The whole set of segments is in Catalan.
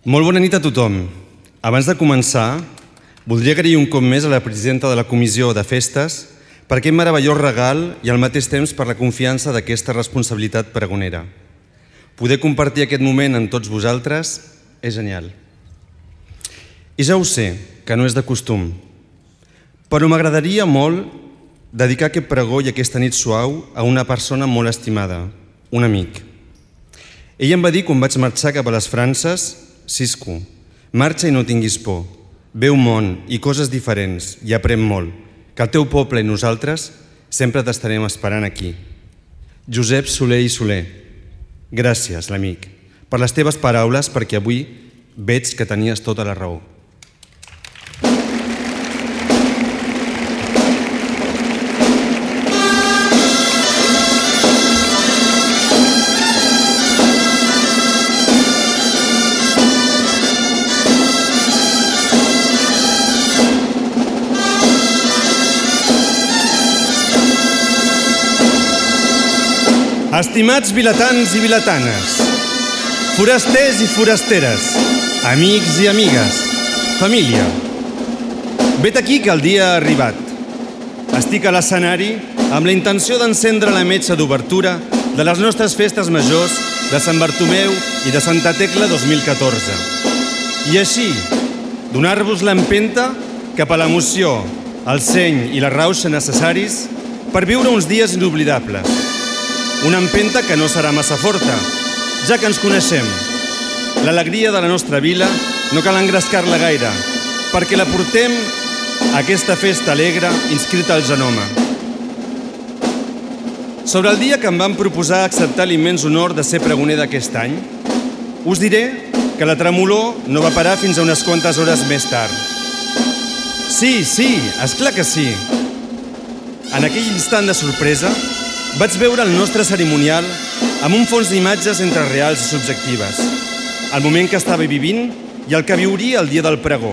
Molt bona nit a tothom. Abans de començar, voldria agrair un cop més a la presidenta de la Comissió de Festes per aquest meravellós regal i al mateix temps per la confiança d'aquesta responsabilitat pregonera. Poder compartir aquest moment amb tots vosaltres és genial. I ja ho sé, que no és de costum, però m'agradaria molt dedicar aquest pregó i aquesta nit suau a una persona molt estimada, un amic. Ell em va dir quan vaig marxar cap a les Frances: Siscu, marxa i no tinguis por. Veu món i coses diferents i aprèn molt, que el teu poble i nosaltres sempre t'estarem esperant aquí. Josep Soler i Soler, gràcies, l'amic, per les teves paraules, perquè avui veig que tenies tota la raó. Estimats vilatans i vilatanes, forasters i forasteres, amics i amigues, família, vet aquí que el dia ha arribat. Estic a l'escenari amb la intenció d'encendre la metxa d'obertura de les nostres festes majors de Sant Bartomeu i de Santa Tecla 2014. I així, donar-vos l'empenta cap a l'emoció, el seny i la rauxa necessaris per viure uns dies inoblidables. Una empenta que no serà massa forta, ja que ens coneixem. L'alegria de la nostra vila no cal engrescar-la gaire, perquè la portem a aquesta festa alegre inscrita al genoma. Sobre el dia que em van proposar acceptar l'immens honor de ser pregoner d'aquest any, us diré que la tremolor no va parar fins a unes quantes hores més tard. Sí, esclar que sí. En aquell instant de sorpresa, vaig veure el nostre cerimonial amb un fons d'imatges entre reals i subjectives, el moment que estava vivint i el que viuria el dia del pregó.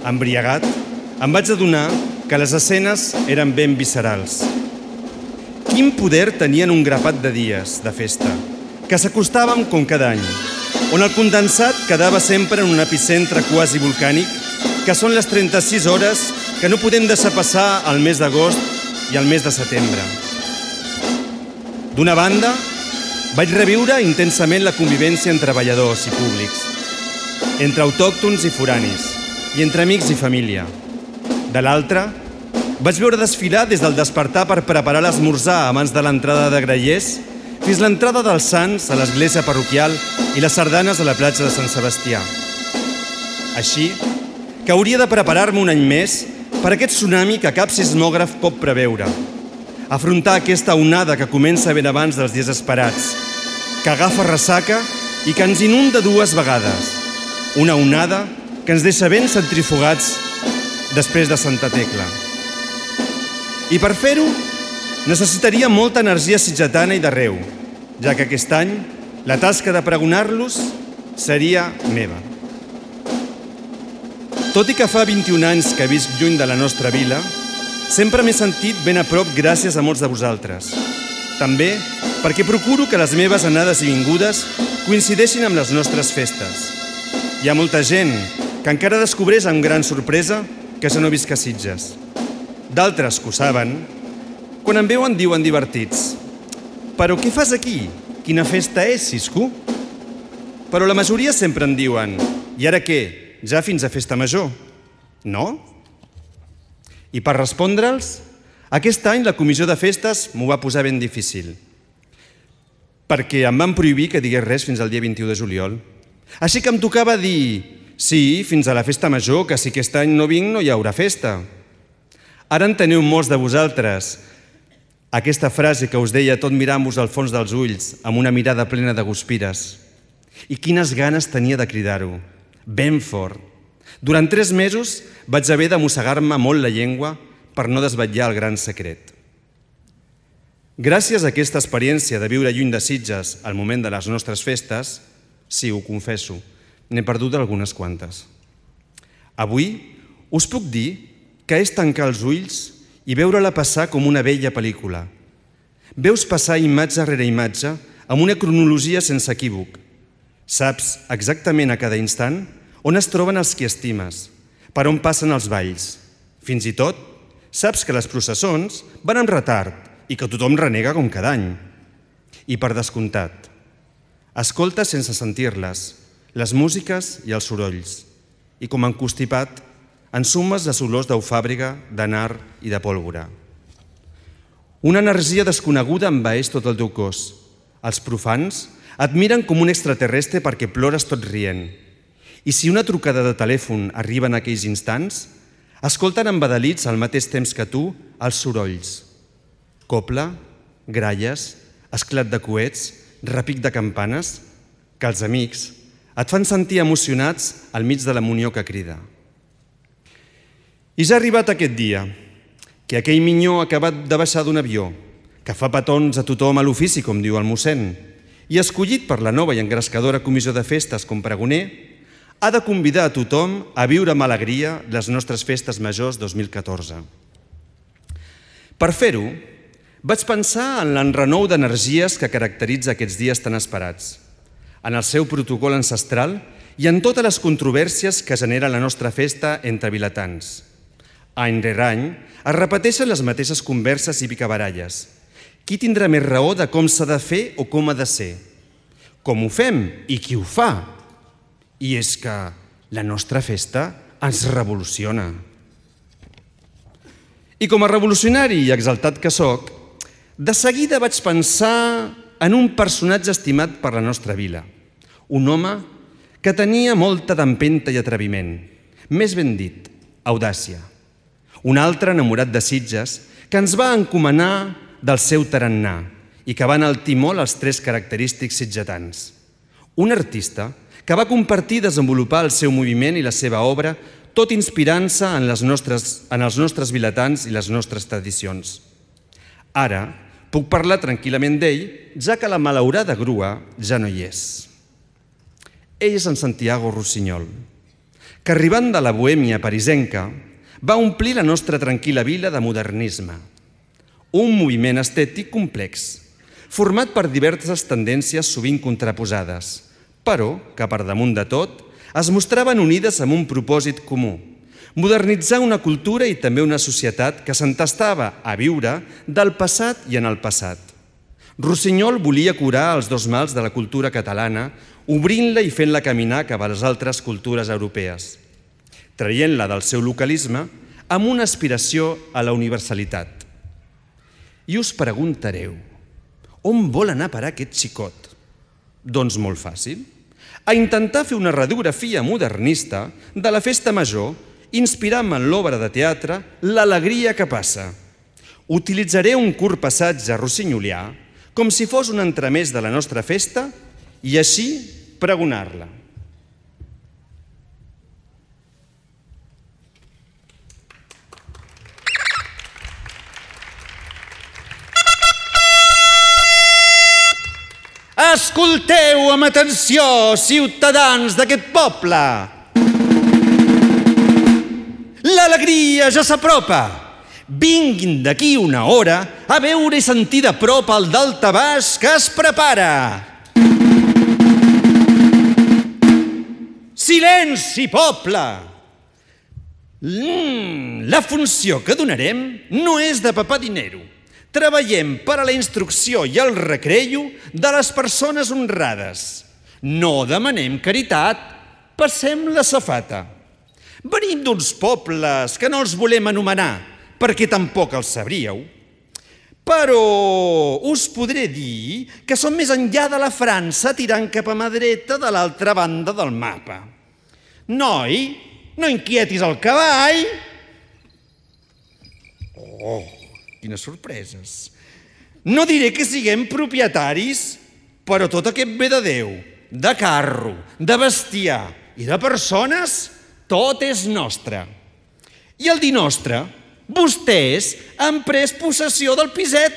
Embriagat, em vaig adonar que les escenes eren ben viscerals. Quin poder tenien un grapat de dies de festa, que s'acostàvem com cada any, on el condensat quedava sempre en un epicentre quasi volcànic, que són les 36 hores que no podem deixar passar al mes d'agost i al mes de setembre. D'una banda, vaig reviure intensament la convivència entre treballadors i públics, entre autòctons i foranis, i entre amics i família. De l'altra, vaig veure desfilar des del despertar per preparar l'esmorzar abans de l'entrada de grallers fins l'entrada dels Sants a l'església parroquial i les sardanes a la platja de Sant Sebastià. Així, que hauria de preparar-me un any més per aquest tsunami que cap sismògraf pot preveure. Afrontar aquesta onada que comença ben abans dels dies esperats, que agafa ressaca i que ens inunda dues vegades. Una onada que ens deixa ben centrifugats després de Santa Tecla. I per fer-ho, necessitaria molta energia sitgetana i d'arreu, ja que aquest any la tasca de pregonar-los seria meva. Tot i que fa 21 anys que visc lluny de la nostra vila, sempre m'he sentit ben a prop gràcies a molts de vosaltres. També perquè procuro que les meves anades i vingudes coincideixin amb les nostres festes. Hi ha molta gent que encara descobreix amb gran sorpresa que jo no visc a Sitges. D'altres que ho saben, quan em veuen diuen divertits: «Però què fas aquí? Quina festa és, Siscu?» Però la majoria sempre em diuen: «I ara què? Ja fins a festa major?» No? I per respondre'ls, aquest any la comissió de festes m'ho va posar ben difícil, perquè em van prohibir que digués res fins al dia 21 de juliol. Així que em tocava dir: «Sí, fins a la festa major, que si aquest any no vinc no hi haurà festa». Ara enteneu molts de vosaltres aquesta frase que us deia tot mirant-vos al fons dels ulls amb una mirada plena de guspires. I quines ganes tenia de cridar-ho, ben fort. Durant 3 mesos vaig haver de mossegar-me molt la llengua per no desvetllar el gran secret. Gràcies a aquesta experiència de viure lluny de Sitges al moment de les nostres festes, sí, ho confesso, n'he perdut algunes quantes. Avui us puc dir que és tancar els ulls i veure-la passar com una bella pel·lícula. Veus passar imatge rere imatge amb una cronologia sense equívoc, Saps exactament a cada instant on es troben els qui estimes, per on passen els balls. Fins i tot, saps que les processons van amb retard i que tothom renega com cada any. I per descomptat, escoltes sense sentir-les, les músiques i els sorolls. I com encostipat, ensumes les olors d'eufàbriga, de nar i de pólvora. Una energia desconeguda envaeix tot el teu cos. Els profans et miren com un extraterrestre perquè plores tot rient. I si una trucada de telèfon arriba en aquells instants, escolten embadalits al mateix temps que tu els sorolls. Copla, gralles, esclat de coets, repic de campanes, que els amics et fan sentir emocionats al mig de la munió que crida. I ja ha arribat aquest dia, que aquell minyó ha acabat de baixar d'un avió, que fa petons a tothom a l'ofici, com diu el mossèn, i escollit per la nova i engrescadora comissió de festes com pregoner, ha de convidar a tothom a viure amb alegria les nostres festes majors 2014. Per fer-ho, vaig pensar en l'enrenou d'energies que caracteritza aquests dies tan esperats, en el seu protocol ancestral i en totes les controvèrsies que genera la nostra festa entre vilatans. Any rere any es repeteixen les mateixes converses i picabaralles. Qui tindrà més raó de com s'ha de fer o com ha de ser? Com ho fem i qui ho fa? I és que la nostra festa ens revoluciona. I com a revolucionari i exaltat que sóc, de seguida vaig pensar en un personatge estimat per la nostra vila. Un home que tenia molta d'empenta i atreviment. Més ben dit, audàcia. Un altre enamorat de Sitges que ens va encomanar del seu tarannà i que va enaltir molt els tres característics sitgetans. Un artista que va compartir i desenvolupar el seu moviment i la seva obra, tot inspirant-se en els nostres vilatans i les nostres tradicions. Ara puc parlar tranquil·lament d'ell, ja que la malaurada grua ja no hi és. Ell és en Santiago Rossinyol, que arribant de la Bohèmia parisenca va omplir la nostra tranquil·la vila de modernisme. Un moviment estètic complex, format per diverses tendències sovint contraposades, però que per damunt de tot es mostraven unides amb un propòsit comú: modernitzar una cultura i també una societat que s'entestava a viure del passat i en el passat. Rossinyol volia curar els dos mals de la cultura catalana, obrint-la i fent-la caminar cap a les altres cultures europees, traient-la del seu localisme amb una aspiració a la universalitat. I us preguntareu, on vol anar a parar aquest xicot? Doncs molt fàcil, a intentar fer una radiografia modernista de la festa major, inspirant-me en l'obra de teatre L'alegria que passa. Utilitzaré un curt passatge rossinyolià com si fos un entremès de la nostra festa i així pregonar-la. Escolteu amb atenció, ciutadans d'aquest poble! L'alegria ja s'apropa! Vinguin d'aquí una hora a veure i sentir de prop el daltabaix que es prepara! Silenci, poble! La funció que donarem no és de papar dinero. Treballem per a la instrucció i el recreo de les persones honrades. No demanem caritat, passem la safata. Venim d'uns pobles que no els volem anomenar, perquè tampoc els sabríeu. Però us podré dir que som més enllà de la França tirant cap a mà dreta de l'altra banda del mapa. Noi, no inquietis el cavall! Oh, quines sorpreses! No diré que siguem propietaris, però tot aquest bé de Déu, de carro, de bestiar i de persones, tot és nostre. I el dir nostre, vostès han pres possessió del piset,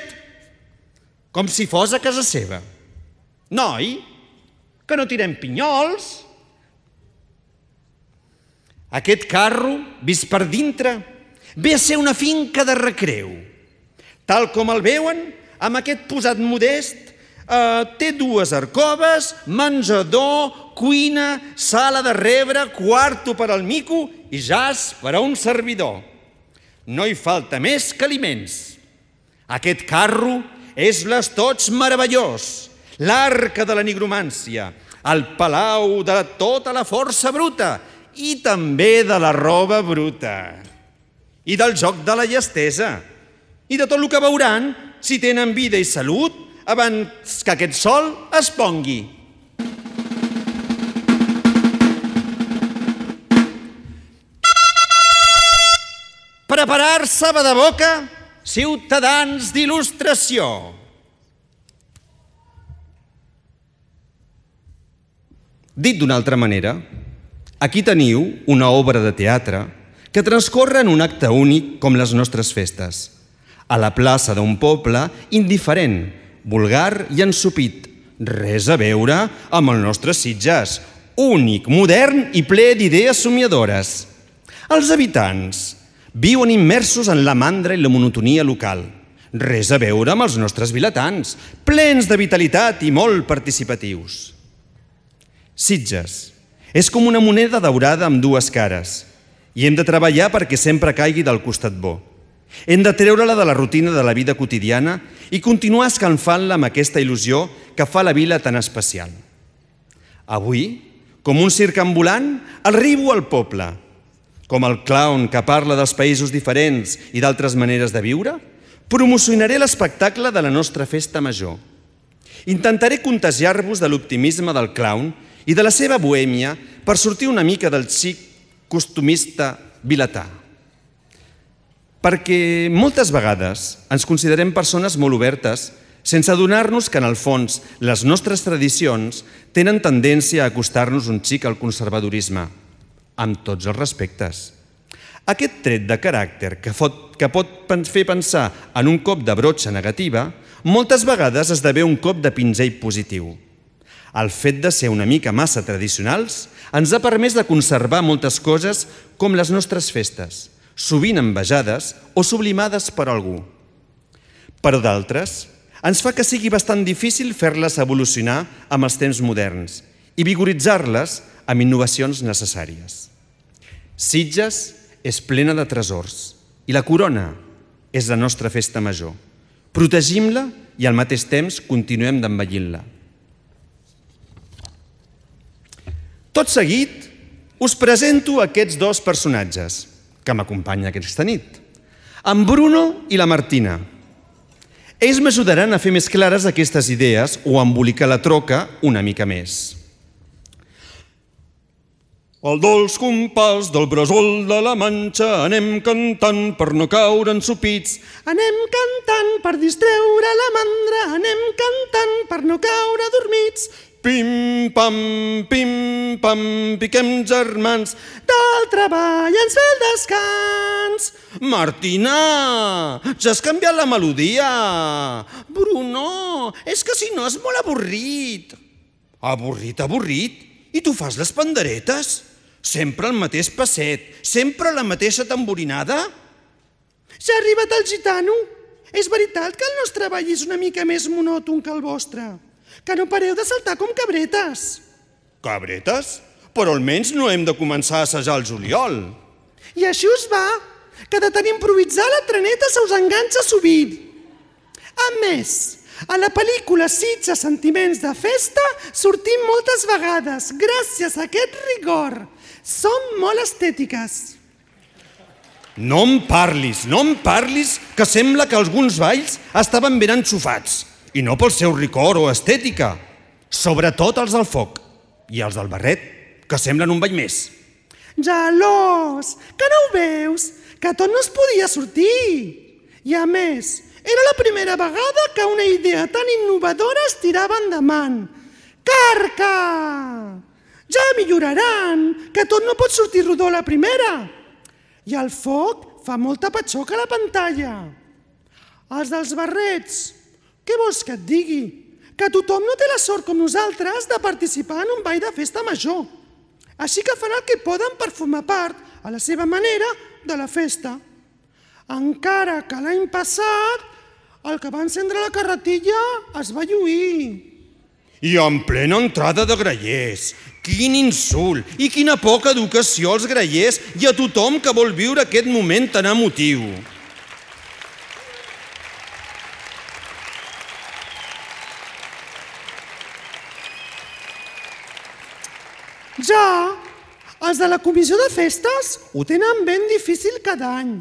com si fos a casa seva. Noi, que no tirem pinyols. Aquest carro, vist per dintre, ve a ser una finca de recreu. Tal com el veuen, amb aquest posat modest, Té 2 alcoves, menjador, cuina, sala de rebre, quarto per al mico i jaç per a un servidor. No hi falta més que aliments. Aquest carro és l'estoig meravellós, l'arca de la nigromància, el palau de tota la força bruta i també de la roba bruta, i del joc de la llestesa, i de tot el que veuran si tenen vida i salut abans que aquest sol es pongui. Preparar-se de boca, ciutadans d'il·lustració. Dit d'una altra manera, aquí teniu una obra de teatre que transcorre en un acte únic com les nostres festes, a la plaça d'un poble indiferent, vulgar i ensopit, res a veure amb el nostre Sitges, únic, modern i ple d'idees somiadores. Els habitants viuen immersos en la mandra i la monotonia local, res a veure amb els nostres vilatans, plens de vitalitat i molt participatius. Sitges és com una moneda daurada amb 2 cares i hem de treballar perquè sempre caigui del costat bo. Hem de treure-la de la rutina de la vida quotidiana i continuar escalfant-la amb aquesta il·lusió que fa la vila tan especial. Avui, com un circ ambulant, arribo al poble. Com el clown que parla dels països diferents i d'altres maneres de viure, promocionaré l'espectacle de la nostra festa major. Intentaré contagiar-vos de l'optimisme del clown i de la seva bohèmia per sortir una mica del xic costumista vilatà. Perquè moltes vegades ens considerem persones molt obertes sense adonar-nos que en el fons les nostres tradicions tenen tendència a acostar-nos un xic al conservadorisme, amb tots els respectes. Aquest tret de caràcter que pot fer pensar en un cop de brotxa negativa, moltes vegades esdevé un cop de pinzell positiu. El fet de ser una mica massa tradicionals ens ha permès de conservar moltes coses com les nostres festes, sovint envejades o sublimades per algú. Però d'altres ens fa que sigui bastant difícil fer-les evolucionar amb els temps moderns i vigoritzar-les amb innovacions necessàries. Sitges és plena de tresors i la corona és la nostra festa major. Protegim-la i al mateix temps continuem d'embellir-la. Tot seguit us presento aquests 2 personatges que m'acompanyen aquesta nit, en Bruno i la Martina. Ells m'ajudaran a fer més clares aquestes idees o a embolicar la troca una mica més. Al dolç compàs del bressol de la Manxa anem cantant per no caure ensopits. Anem cantant per distreure la mandra, anem cantant per no caure adormits. Pim, pam, piquem germans, del treball ens ve el descans. Martina, ja has canviat la melodia. Bruno, és que si no és molt avorrit. Avorrit? I tu fas les panderetes? Sempre el mateix passet, sempre la mateixa tamborinada? Ja ha arribat el gitano. És veritat que el nostre ball és una mica més monòton que el vostre. Que no pareu de saltar com cabretes. Cabretes? Però almenys no hem de començar a assajar el juliol. I així us va, que de tant improvisar la treneta se us enganxa sovint. A més, a la pel·lícula Sitges Sentiments de Festa sortim moltes vegades gràcies a aquest rigor. Som molt estètiques. No em parlis, que sembla que alguns balls estaven ben enxufats. I no pel seu rigor o estètica. Sobretot els del foc. I els del barret, que semblen un ball més. Gelós, que no ho veus? Que tot no es podia sortir. I a més, era la primera vegada que una idea tan innovadora es tirava endavant. Carca! Ja milloraran, que tot no pot sortir rodó a la primera. I el foc fa molta patxoca a la pantalla. Els dels barrets, què vols que et digui? Que tothom no té la sort com nosaltres de participar en un ball de festa major. Així que fan el que poden per formar part, a la seva manera, de la festa. Encara que l'any passat El que va encendre la carretilla es va lluir. I en plena entrada de grallers. Quin insult i quina poca educació als grallers i a tothom que vol viure aquest moment tan emotiu. Ja, els de la comissió de festes ho tenen ben difícil cada any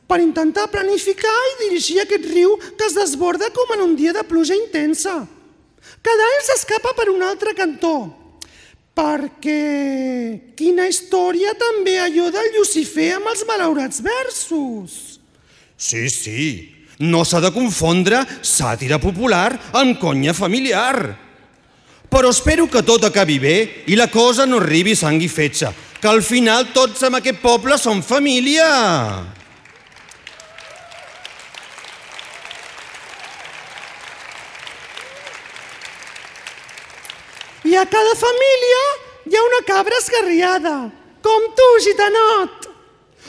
per intentar planificar i dirigir aquest riu que es desborda com en un dia de pluja intensa. Cada any s'escapa per un altre cantó, perquè quina història també allò del Llucifer amb els malaurats versos. Sí, no s'ha de confondre sàtira popular amb conya familiar. Però espero que tot acabi bé i la cosa no arribi a sang i fetge, que al final tots en aquest poble som família. I a cada família hi ha una cabra esgarriada, com tu, gitanot.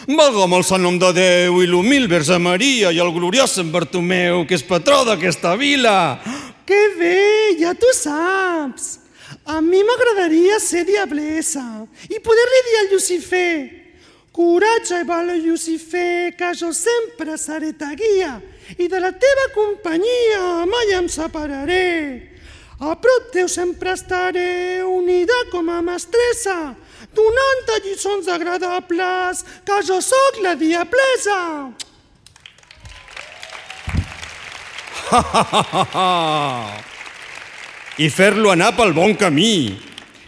Valga'm el sant nom de Déu i l'humil Verge Maria i el gloriós Sant Bartomeu, que és patró d'aquesta vila. Que bé, ja t'ho saps. A mi m'agradaria ser diablessa i poder-li dir al Llucifer: coratge i vale, Llucifer, que jo sempre seré ta guia i de la teva companyia mai em separaré. A prop teu sempre estaré unida com a mestressa, donant-te lliçons agradables, que jo sóc la diablessa. I fer-lo anar pel bon camí.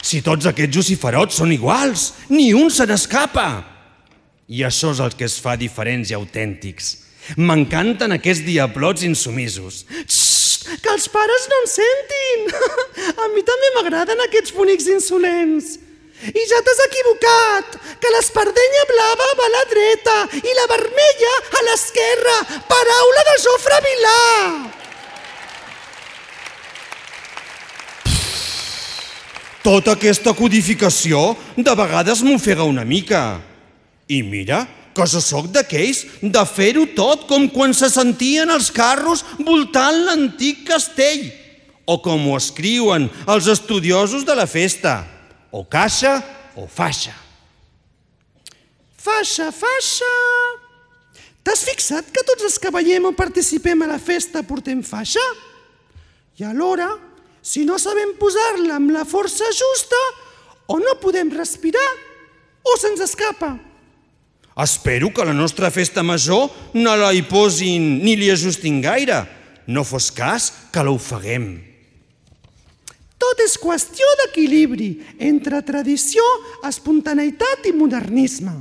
Si tots aquests luciferots són iguals, ni un se n'escapa. I això és el que es fa diferents i autèntics. M'encanten aquests diablots insumisos. Que els pares no en sentin. A mi també m'agraden aquests bonics insolents. I ja t'has equivocat, que l'espardenya blava va a la dreta i la vermella a l'esquerra. Paraula de Jofre Vilà. Tota aquesta codificació de vegades m'ofega una mica. I mira, que jo sóc d'aquells de fer-ho tot com quan se sentien els carros voltant l'antic castell, o com ho escriuen els estudiosos de la festa, o caixa o faixa. Faixa, faixa. T'has fixat que tots els que veiem o participem a la festa portem faixa? I alhora, si no sabem posar-la amb la força justa, o no podem respirar o se'ns escapa. Espero que la nostra festa major no la hi posin ni li ajustin gaire. No fos cas que l'ofeguem. Tot és qüestió d'equilibri entre tradició, espontaneïtat i modernisme.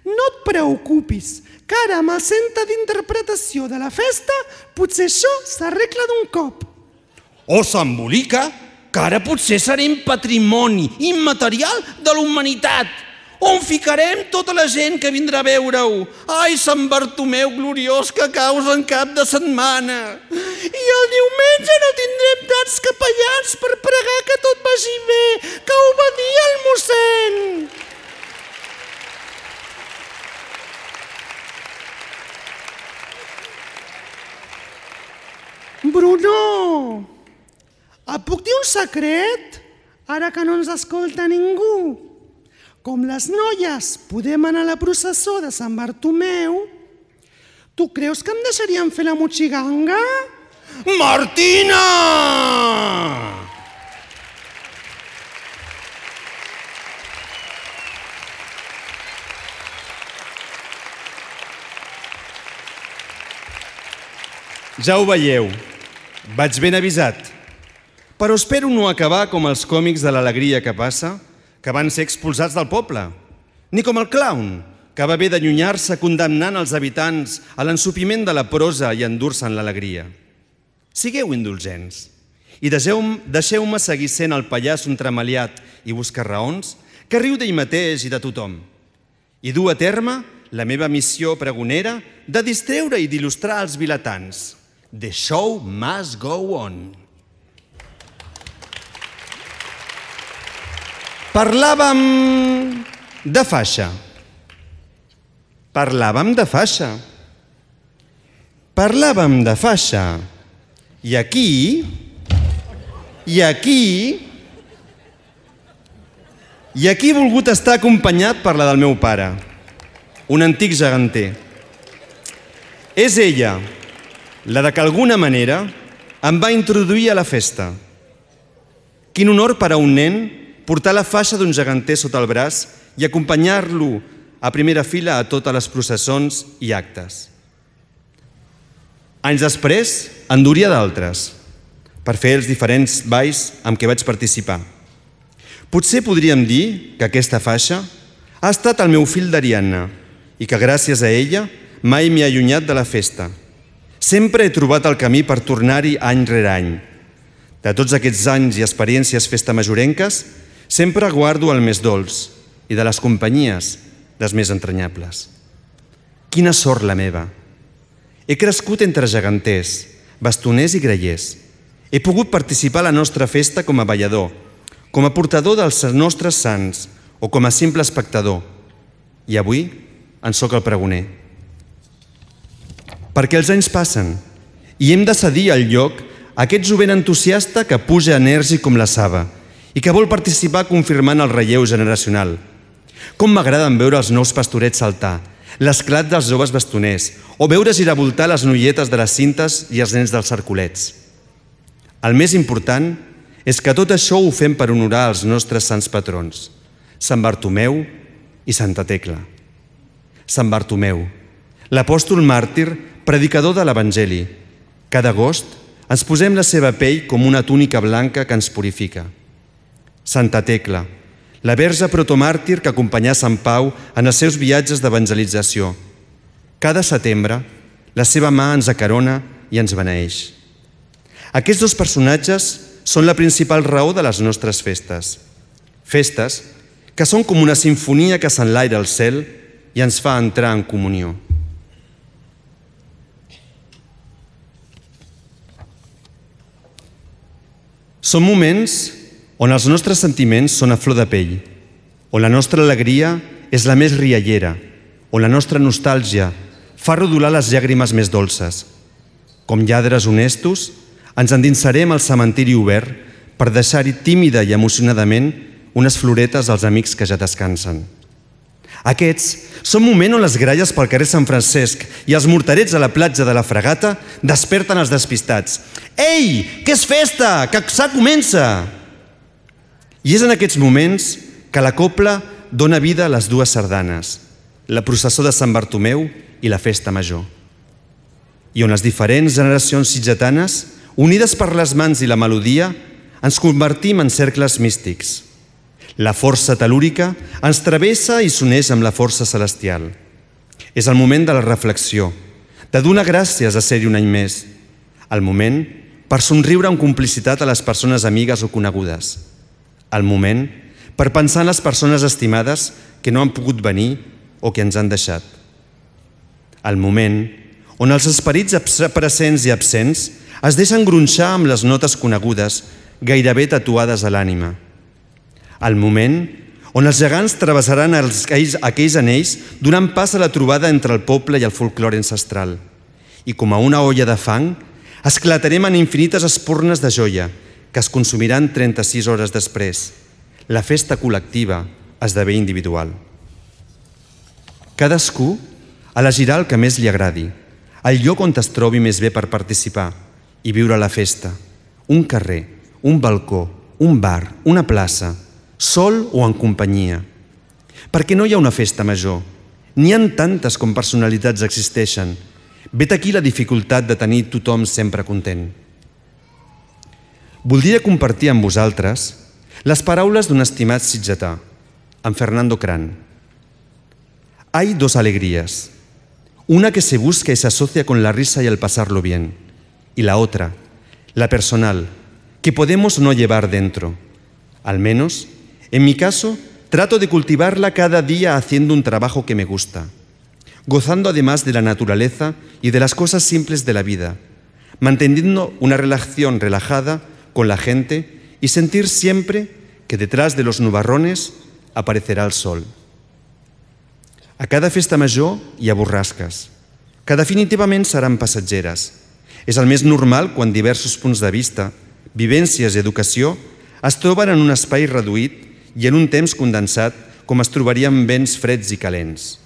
No et preocupis, que ara amb el centre d'interpretació de la festa potser això s'arregla d'un cop. O s'embolica, que ara potser serem patrimoni immaterial de la humanitat, on ficarem tota la gent que vindrà a veure-ho. Ai, Sant Bartomeu gloriós, que caus en cap de setmana. I el diumenge no tindrem tants capellans per pregar que tot vagi bé, que ho va dir el mossèn. Bruno, et puc dir un secret? Ara que no ens escolta ningú. Com les noies podem anar a la processó de Sant Bartomeu, tu creus que em deixarien fer la motxiganga? Martina! Ja ho veieu, vaig ben avisat. Però espero no acabar com els còmics de l'alegria que passa, que van ser expulsats del poble, ni com el clown, que va haver d'allunyar-se condemnant els habitants a l'ensopiment de la prosa i endur-se'n l'alegria. Sigueu indulgents i deixeu-me seguir sent el pallasso entremaliat i buscar raons que riu d'ell mateix i de tothom, i dur a terme la meva missió pregonera de distreure i d'il·lustrar els vilatans. The show must go on. Parlàvem de faixa. Parlàvem de faixa. I aquí he volgut estar acompanyat per la del meu pare, un antic geganter. És ella, la de que d'alguna manera em va introduir a la festa. Quin honor per a un nen portar la faixa d'un geganter sota el braç i acompanyar-lo a primera fila a totes les processons i actes. Anys després, en duria d'altres, per fer els diferents balls amb què vaig participar. Potser podríem dir que aquesta faixa ha estat el meu fil d'Ariadna i que gràcies a ella mai m'he allunyat de la festa. Sempre he trobat el camí per tornar-hi any rere any. De tots aquests anys i experiències festamajorenques, sempre guardo el més dolç i de les companyies les més entranyables. Quina sort la meva! He crescut entre geganters, bastoners i grallers. He pogut participar a la nostra festa com a ballador, com a portador dels nostres sants o com a simple espectador. I avui en sóc el pregoner. Perquè els anys passen i hem de cedir el lloc a aquest jovent entusiasta que puja enèrgic com la saba i que vol participar confirmant el relleu generacional. Com m'agraden veure els nous pastorets saltar, l'esclat dels joves bastoners o veure giravoltar les noietes de les cintes i els nens dels cercolets. El més important és que tot això ho fem per honorar els nostres sants patrons, Sant Bartomeu i Santa Tecla. Sant Bartomeu, l'apòstol màrtir, predicador de l'Evangeli. Cada agost ens posem la seva pell com una túnica blanca que ens purifica. Santa Tecla, la verge protomàrtir que acompanyà Sant Pau en els seus viatges d'evangelització. Cada setembre, la seva mà ens acarona i ens beneeix. Aquests dos personatges són la principal raó de les nostres festes. Festes que són com una simfonia que s'enlaira al cel i ens fa entrar en comunió. Són moments on els nostres sentiments són a flor de pell, on la nostra alegria és la més riallera, on la nostra nostàlgia fa rodolar les llàgrimes més dolces. Com lladres honestos, ens endinsarem al cementiri obert per deixar-hi tímida i emocionadament unes floretes als amics que ja descansen. Aquests són moments on les gralles pel carrer Sant Francesc i els morterets a la platja de la Fragata desperten els despistats. Ei, que és festa, que s'ha comença! I és en aquests moments que la copla dona vida a les dues sardanes, la processó de Sant Bartomeu i la festa major. I on les diferents generacions sitgetanes, unides per les mans i la melodia, ens convertim en cercles místics. La força telúrica ens travessa i s'uneix amb la força celestial. És el moment de la reflexió, de donar gràcies a ser-hi un any més. El moment per somriure amb complicitat a les persones amigues o conegudes. El moment per pensar en les persones estimades que no han pogut venir o que ens han deixat. El moment on els esperits presents i absents es deixen gronxar amb les notes conegudes, gairebé tatuades a l'ànima. El moment on els gegants travessaran aquells anells donant pas a la trobada entre el poble i el folklore ancestral. I com a una olla de fang, esclatarem en infinites espurnes de joia que es consumiran 36 hores després. La festa col·lectiva esdevé individual. Cadascú elegirà el que més li agradi, el lloc on es trobi més bé per participar i viure la festa. Un carrer, un balcó, un bar, una plaça, sol o en companyia. Perquè no hi ha una festa major. N'hi ha tantes com personalitats existeixen. Vet aquí la dificultat de tenir tothom sempre content. Voldria compartir amb vosaltres les paraules d'un estimat sitgetà, en Fernando Cran. Hay dos alegrías. Una que se busca y se asocia con la risa y el pasarlo bien. Y la otra, la personal, que podemos no llevar dentro. Al menos, en mi caso, trato de cultivarla cada día haciendo un trabajo que me gusta, gozando además de la naturaleza y de las cosas simples de la vida, manteniendo una relación relajada con la gente y sentir siempre que detrás de los nubarrones aparecerá el sol. A cada festa major hi ha borrasques. que definitivament seran passatgeres. És el més normal quan diversos punts de vista, vivències i educació es troben en un espai reduït i en un temps condensat com es trobarien vents freds i calents.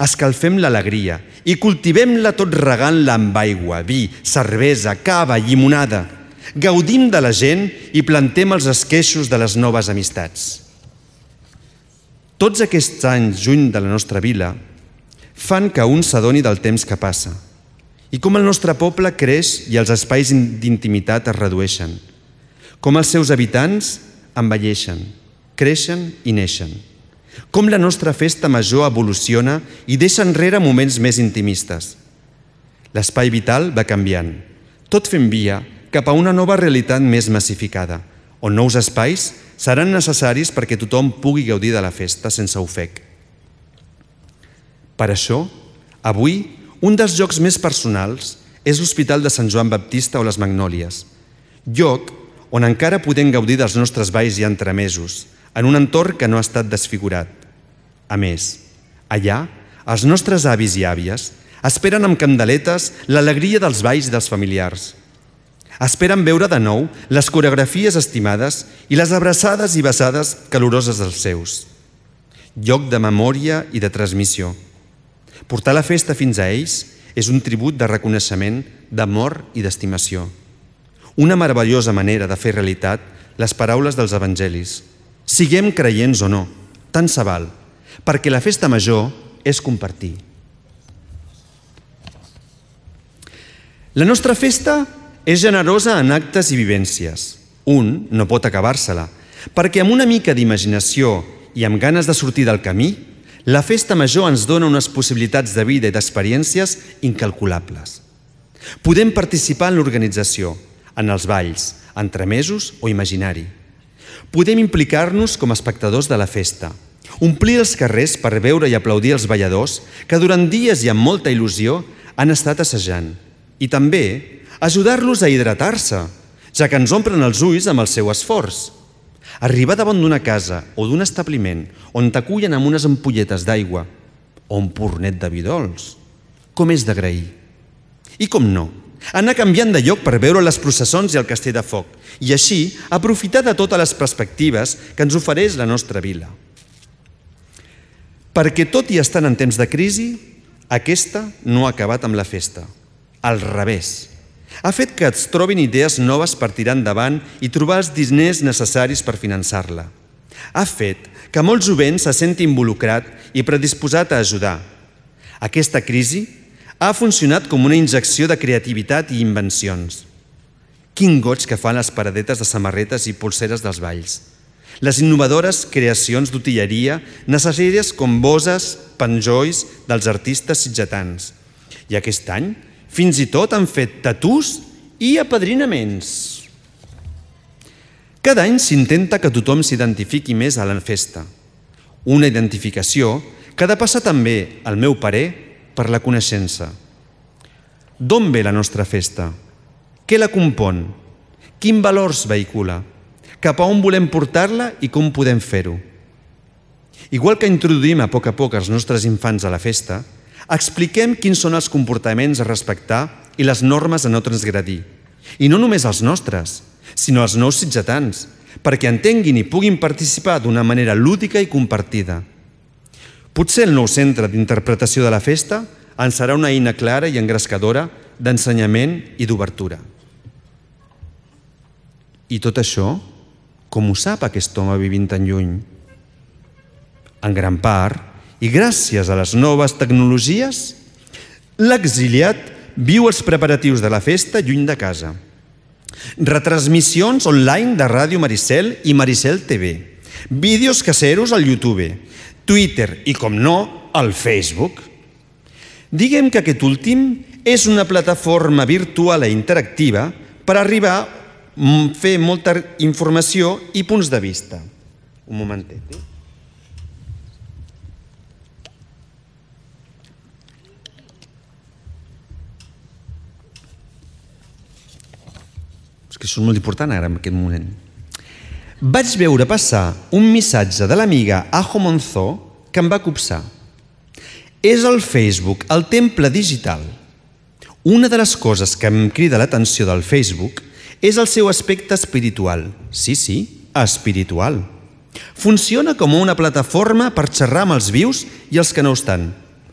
Escalfem l'alegria i cultivem-la tot regant-la amb aigua, vi, cervesa, cava, llimonada. Gaudim de la gent i plantem els esqueixos de les noves amistats. Tots aquests anys lluny de la nostra vila fan que un s'adoni del temps que passa i com el nostre poble creix i els espais d'intimitat es redueixen, com els seus habitants envelleixen, creixen i neixen, com la nostra festa major evoluciona i deixa enrere moments més intimistes. L'espai vital va canviant, tot fent via cap a una nova realitat més massificada, on nous espais seran necessaris perquè tothom pugui gaudir de la festa sense ofec. Per això, avui, un dels llocs més personals és l'Hospital de Sant Joan Baptista o les Magnòlies, lloc on encara podem gaudir dels nostres balls i entremesos, en un entorn que no ha estat desfigurat. A més, allà, els nostres avis i àvies esperen amb candeletes l'alegria dels balls i dels familiars. Esperen veure de nou les coreografies estimades i les abraçades i besades caloroses dels seus. Lloc de memòria i de transmissió. Portar la festa fins a ells és un tribut de reconeixement, d'amor i d'estimació. Una meravellosa manera de fer realitat les paraules dels evangelis. Siguem creients o no, tant se val, perquè la festa major és compartir. La nostra festa és generosa en actes i vivències. Un no pot acabar-se-la, perquè amb una mica d'imaginació i amb ganes de sortir del camí, la festa major ens dona unes possibilitats de vida i d'experiències incalculables. Podem participar en l'organització, en els balls, entremesos o imaginari. Podem implicar-nos com a espectadors de la festa, omplir els carrers per veure i aplaudir els balladors que durant dies i amb molta il·lusió han estat assajant, i també ajudar-los a hidratar-se, ja que ens omplen els ulls amb el seu esforç. Arribar davant d'una casa o d'un establiment on t'acullen amb unes ampolletes d'aigua o un pornet de vi dolç, com és d'agrair. I com no, anar canviant de lloc per veure les processons i el castell de foc i així aprofitar de totes les perspectives que ens ofereix la nostra vila. Perquè tot i estant en temps de crisi, aquesta no ha acabat amb la festa. Al revés. Ha fet que es trobin idees noves per tirar endavant i trobar els diners necessaris per finançar-la. Ha fet que molt jovent se senti involucrat i predisposat a ajudar. Aquesta crisi ha funcionat com una injecció de creativitat i invencions. Quin goig que fan les paradetes de samarretes i polseres dels balls. Les innovadores creacions d'utilleria necessàries com bosses, penjolls dels artistes sitgetans. I aquest any, fins i tot han fet tatús i apadrinaments. Cada any s'intenta que tothom s'identifiqui més a la festa. Una identificació que ha de passar també, al meu parer, per la coneixença. D'on ve la nostra festa? Què la compon? Quins valors vehicula? Cap a on volem portar-la i com podem fer-ho? Igual que introduïm a poc els nostres infants a la festa, expliquem quins són els comportaments a respectar i les normes a no transgredir. I no només els nostres, sinó els nous sitgetans, perquè entenguin i puguin participar d'una manera lúdica i compartida. Potser el nou centre d'interpretació de la festa ens serà una eina clara i engrescadora d'ensenyament i d'obertura. I tot això, com ho sap aquest home vivint tan lluny? En gran part, i gràcies a les noves tecnologies, l'exiliat viu els preparatius de la festa lluny de casa. Retransmissions online de Ràdio Maricel i Maricel TV, vídeos caseros al YouTube, Twitter i, com no, al Facebook. Diguem que aquest últim és una plataforma virtual i interactiva per arribar a fer molta informació i punts de vista. Un momentet. Que és molt important ara en aquest moment. Vaig veure passar un missatge de l'amiga Ajo Monzó que em va copsar. És el Facebook, el temple digital. Una de les coses que em crida l'atenció del Facebook és el seu aspecte espiritual. Sí, espiritual. Funciona com una plataforma per xerrar amb els vius i els que no ho estan.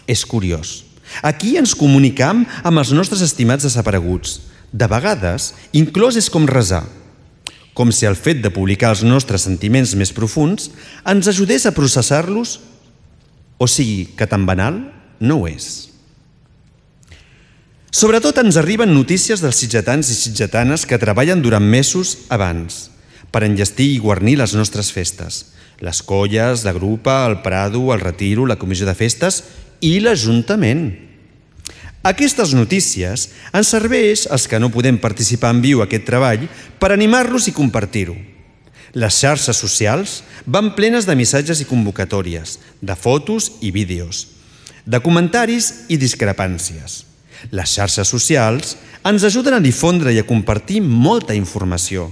És curiós. Aquí ens comunicam amb els nostres estimats desapareguts. De vegades, inclús és com resar. Com si el fet de publicar els nostres sentiments més profunds ens ajudés a processar-los, o sigui que tan banal no ho és. Sobretot ens arriben notícies dels sitgetans i sitgetanes que treballen durant mesos abans per enllestir i guarnir les nostres festes. Les colles, la grupa, el Prado, el Retiro, la comissió de festes i l'Ajuntament. Aquestes notícies ens serveix als que no podem participar en viu aquest treball per animar-los i compartir-ho. Les xarxes socials van plenes de missatges i convocatòries, de fotos i vídeos, de comentaris i discrepàncies. Les xarxes socials ens ajuden a difondre i a compartir molta informació.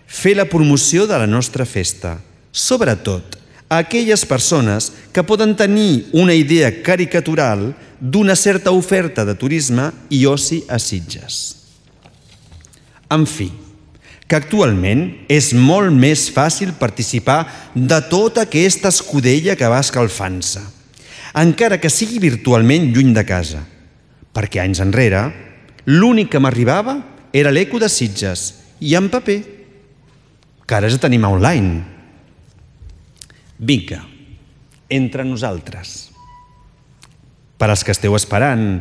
Fer la promoció de la nostra festa, sobretot a aquelles persones que poden tenir una idea caricatural d'una certa oferta de turisme i oci a Sitges. En fi, que actualment és molt més fàcil participar de tota aquesta escudella que va escalfant-se, encara que sigui virtualment lluny de casa, perquè anys enrere l'únic que m'arribava era l'Eco de Sitges i en paper, que ara ja tenim online. Vinga, entre nosaltres. Per als que esteu esperant,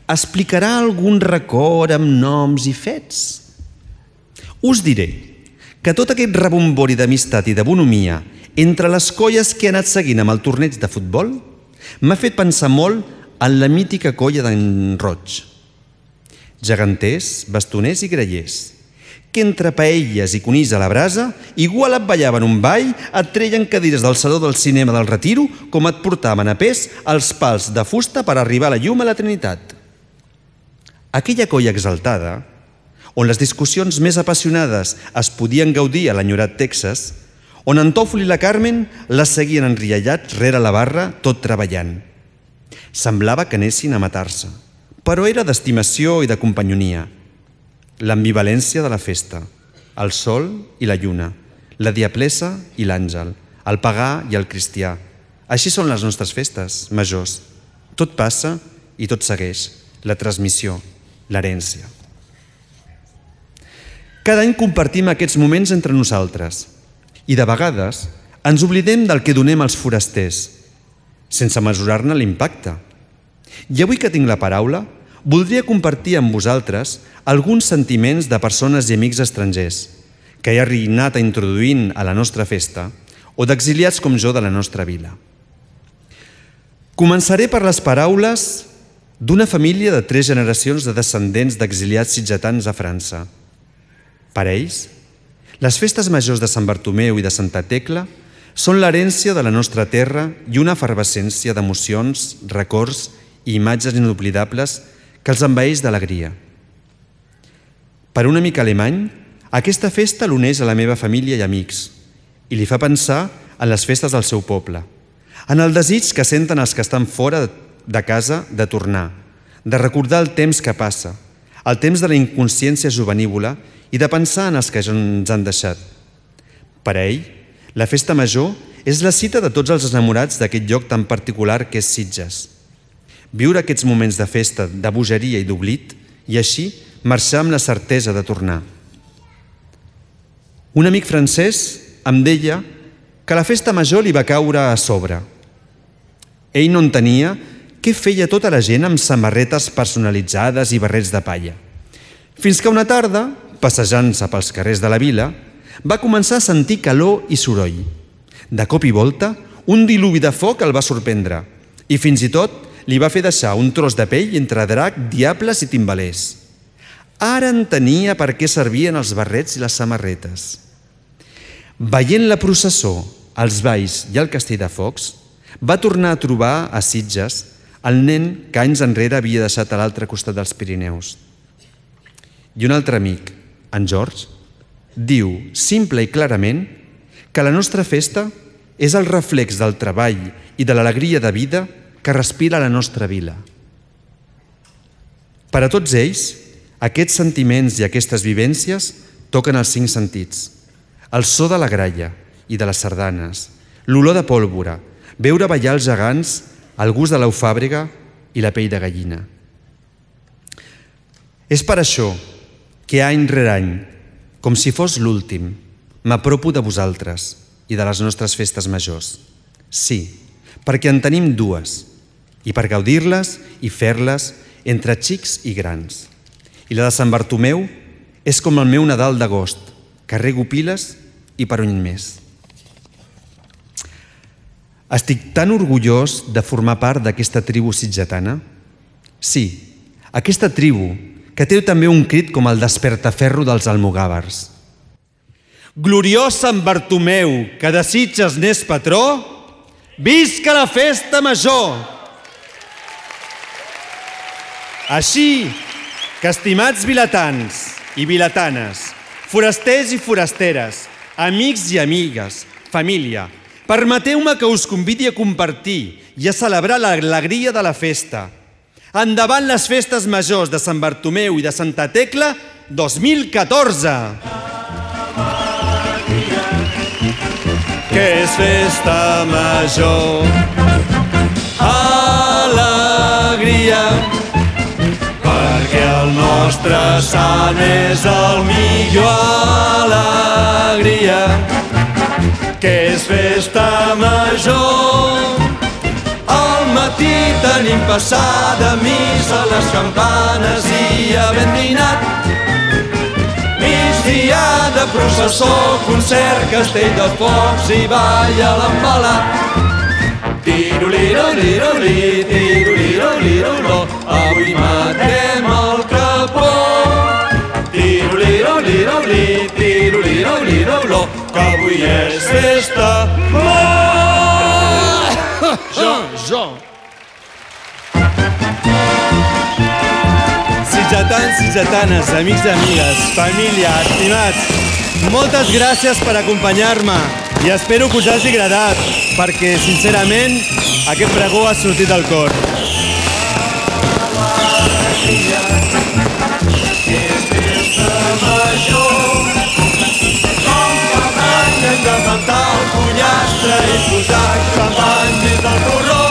explicarà algun record amb noms i fets? Us diré que tot aquest rebombori d'amistat i de bonomia entre les colles que he anat seguint amb el torneig de futbol m'ha fet pensar molt en la mítica colla d'en Roig. Geganters, bastoners i grellers, que entre paelles i conills a la brasa, igual et ballaven un ball, et treien cadires del saló del cinema del Retiro, com et portaven a pes els pals de fusta per arribar a la llum a la Trinitat. Aquella colla exaltada, on les discussions més apassionades es podien gaudir a l'enyorat Texas, on en Tòfol i la Carmen les seguien enriallats rere la barra tot treballant. Semblava que anessin a matar-se, però era d'estimació i de companyonia. L'ambivalència de la festa, el sol i la lluna, la diablessa i l'àngel, el pagà i el cristià. Així són les nostres festes majors. Tot passa i tot segueix. La transmissió, l'herència. Cada any compartim aquests moments entre nosaltres i de vegades ens oblidem del que donem als forasters, sense mesurar-ne l'impacte. I avui que tinc la paraula, voldria compartir amb vosaltres alguns sentiments de persones i amics estrangers que he anat introduint a la nostra festa o d'exiliats com jo de la nostra vila. Començaré per les paraules d'una família de 3 generacions de descendents d'exiliats sitgetans a França. Per ells, les festes majors de Sant Bartomeu i de Santa Tecla són l'herència de la nostra terra i una efervescència d'emocions, records i imatges inoblidables que els envaeix d'alegria. Per un amic alemany, aquesta festa l'uneix a la meva família i amics i li fa pensar en les festes del seu poble, en el desig que senten els que estan fora de casa de tornar, de recordar el temps que passa, el temps de la inconsciència juvenívola i de pensar en els que ja ens han deixat. Per a ell, la festa major és la cita de tots els enamorats d'aquest lloc tan particular que és Sitges. Viure aquests moments de festa, de bogeria i d'oblit, i així marxar amb la certesa de tornar. Un amic francès em deia que la festa major li va caure a sobre. Ell no entenia què feia tota la gent amb samarretes personalitzades i barrets de palla. Fins que una tarda, passejant-se pels carrers de la vila, va començar a sentir calor i soroll. De cop i volta, un diluvi de foc el va sorprendre i fins i tot li va fer deixar un tros de pell entre drac, diables i timbalers. Ara entenia per què servien els barrets i les samarretes. Veient la processó, els balls i el castell de focs, va tornar a trobar a Sitges el nen que anys enrere havia deixat a l'altre costat dels Pirineus. I un altre amic, en George, diu simple i clarament que la nostra festa és el reflex del treball i de l'alegria de vida que respira la nostra vila. Per a tots ells, aquests sentiments i aquestes vivències toquen els 5 sentits. El so de la gralla i de les sardanes, l'olor de pólvora, veure ballar els gegants, el gust de l'eufàbrega i la pell de gallina. És per això que any rere any, com si fos l'últim, m'apropo de vosaltres i de les nostres festes majors. Sí, perquè en tenim 2, i per gaudir-les i fer-les entre xics i grans. I la de Sant Bartomeu és com el meu Nadal d'agost, que rego piles i per un mes. Estic tan orgullós de formar part d'aquesta tribu sitgetana. Sí, aquesta tribu que té també un crit com el despertaferro dels almogàvers. Gloriós Sant Bartomeu, que de Sitges n'és patró, visca la festa major! Així que, estimats vilatans i vilatanes, forasters i forasteres, amics i amigues, família, permeteu-me que us convidi a compartir i a celebrar l'alegria de la festa. Endavant les festes majors de Sant Bartomeu i de Santa Tecla 2014! Que és festa major, alegria, perquè el nostre sant és el millor, alegria. Que és festa major, al matí tenim passada missa, les campanes i havent dinat. Migdia de processó, concert, castell de focs i ball a l'embalat. Tiroliro-liro-li, tiroliro-liro-lo, avui matem el capó. Tiroliro-liro-li, tiroliro-liro-lo, que avui és festa. Jo. Sitgetans, sitgetanes, amics i amigues, família, estimats, moltes gràcies per acompanyar-me i espero que us hagi agradat, perquè, sincerament, aquest pregó ha sortit del cor. Hem de plantar el pollastre i posar xampany dins del porró.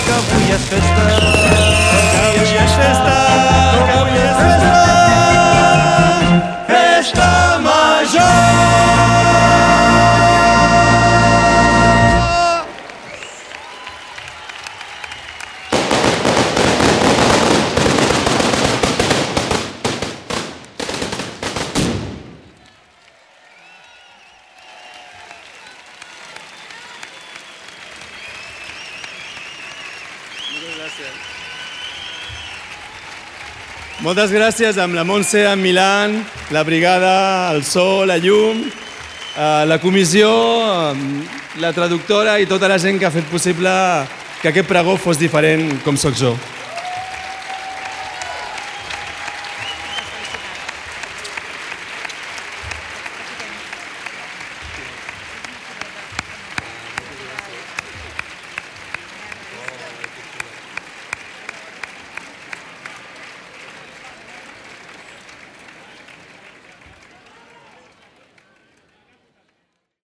Que avui és festa, que avui és festa, que avui és festa, festa major! Moltes gràcies amb la Montse, en Milan, la brigada, el so, la llum, la comissió, la traductora i tota la gent que ha fet possible que aquest pregó fos diferent com sóc jo.